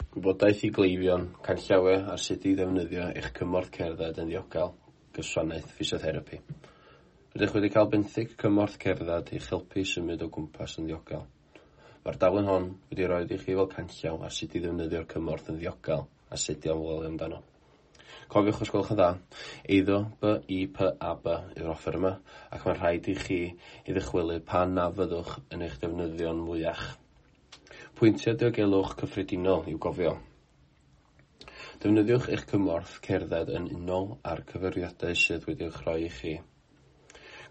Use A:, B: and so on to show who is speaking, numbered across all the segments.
A: Gwybodaeth i gleifion, canllawiau ar sut i ddefnyddio eich cymorth cerdded yn ddiogel, gwasanaeth ffisiotherapi. Rydych wedi cael benthyg cymorth cerdded i'ch helpu i symud o gwmpas yn ddiogel. Mae'r daflen hon wedi rhoi i chi fel canllaw ar sut i ddefnyddio'r cymorth yn ddiogel a sut i ofalu amdano. Cofiwch os gwelwch yn dda, eiddo BIPAB yw'r offer yma ac mae'n rhaid i chi ei ddychwelyd pan na fyddwch yn eich defnyddio'n mwyach. Pwyntiau diogelwch cyffredinol i'w gofio. Defnyddiwch eich cymorth cerdded yn unol â'r cyfeiriadau sydd wedi'u rhoi i chi.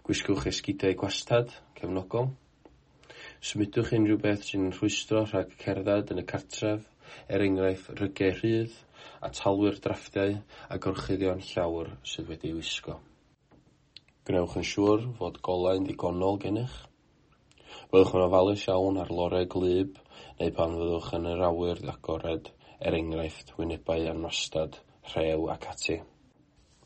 A: Gwisgwch esgidiau gwastad, cefnogol. Symudwch unrhyw beth sy'n rhwystro rhag cerdded yn y cartref, er enghraifft rygiau rhydd, atalwyr drafftiau a gorchuddion llawr sydd wedi'u wisgo. Gwnewch yn siŵr fod golau'n ddigonol gennych. Byddwch yn ofalus iawn ar lorau gwlyb neu pan fyddwch yn yr awyr agored, er enghraifft wynebau anwastad, rhew ac ati.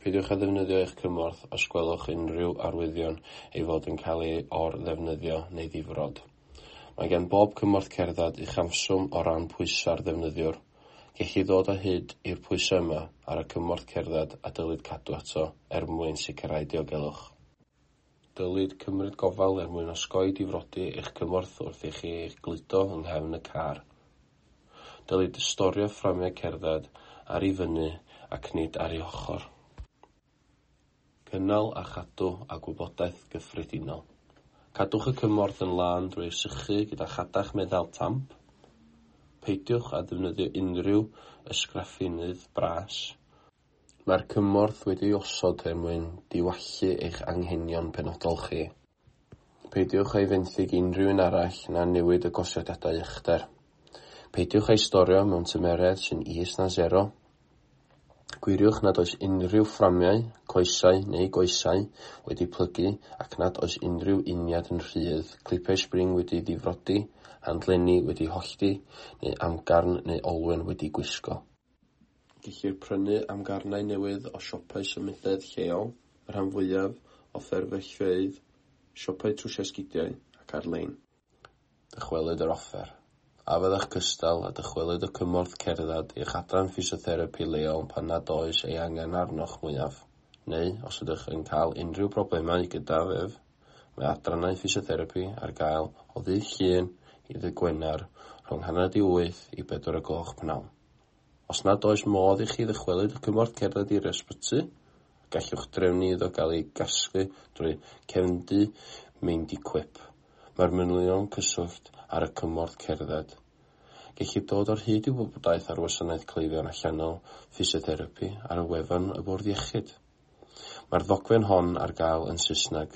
A: Peidiwch â ddefnyddio eich cymorth os gwelwch unrhyw arwyddion ei fod yn cael ei or-ddefnyddio neu ddifrod. Mae gan bob cymorth cerdded uchafswm o ran pwysau'r ddefnyddiwr. Gellir dod o hyd i'r pwysau yma ar y cymorth cerdded a dylid cadw ato er mwyn sicrhau diogelwch. Dylid cymryd gofal er mwyn osgoi difrodi eich cymorth wrth i chi eich gludo yng nghefn y car. Dylid storio fframiau cerdded ar ei fyny ac nid ar ei ochr. Cynnal a chadw a gwybodaeth gyffredinol. Cadwch y cymorth yn lân drwy ei sychu gyda chadach meddal tamp. Peidiwch â defnyddio unrhyw ysgraffinnydd bras. Mae'r cymorth wedi'i osod er mwyn diwallu eich anghenion penodol chi. Peidiwch â'i fenthyg i unrhyw un arall na newid y gosodiadau uchder. Peidiwch â'i storio mewn tymheredd sy'n is na sero. Gwiriwch nad oes unrhyw fframiau, coesau neu goesau wedi plygu ac nad oes unrhyw uniad yn rhydd, clipiau sbring wedi'u difrodi, handlenni wedi'u hollti, neu amgarn neu olwyn wedi gwisgo. Gellir prynu amgarnau newydd o siopau symudedd lleol, y rhan fwyaf o fferyllfeydd, siopau trwsio esgidiau ac ar-lein. Dychwelyd yr offer. A fyddech cystal â dychwelyd y cymorth cerdded i'ch adran ffisiotherapi leol pan nad oes ei angen arnoch mwyaf, neu os ydych yn cael unrhyw broblemau gydag ef, mae adrannau ffisiotherapi ar gael o ddydd Llun i ddydd Gwener rhwng 7:30 i 4 o'gloch pnawn. Os nad oes modd i chi ddychwelyd y cymorth cerdded i'r ysbyty, gallwch drefnu iddo gael ei gasglu drwy Cefndy Mindiquip. Mae'r manylion cyswllt ar y cymorth cerdded. Gellir dod o hyd i wybodaeth ar wasanaeth cleifion allanol ffisiotherapi ar y wefan y Bwrdd Iechyd. Mae'r ddogfen hon ar gael yn Saesneg.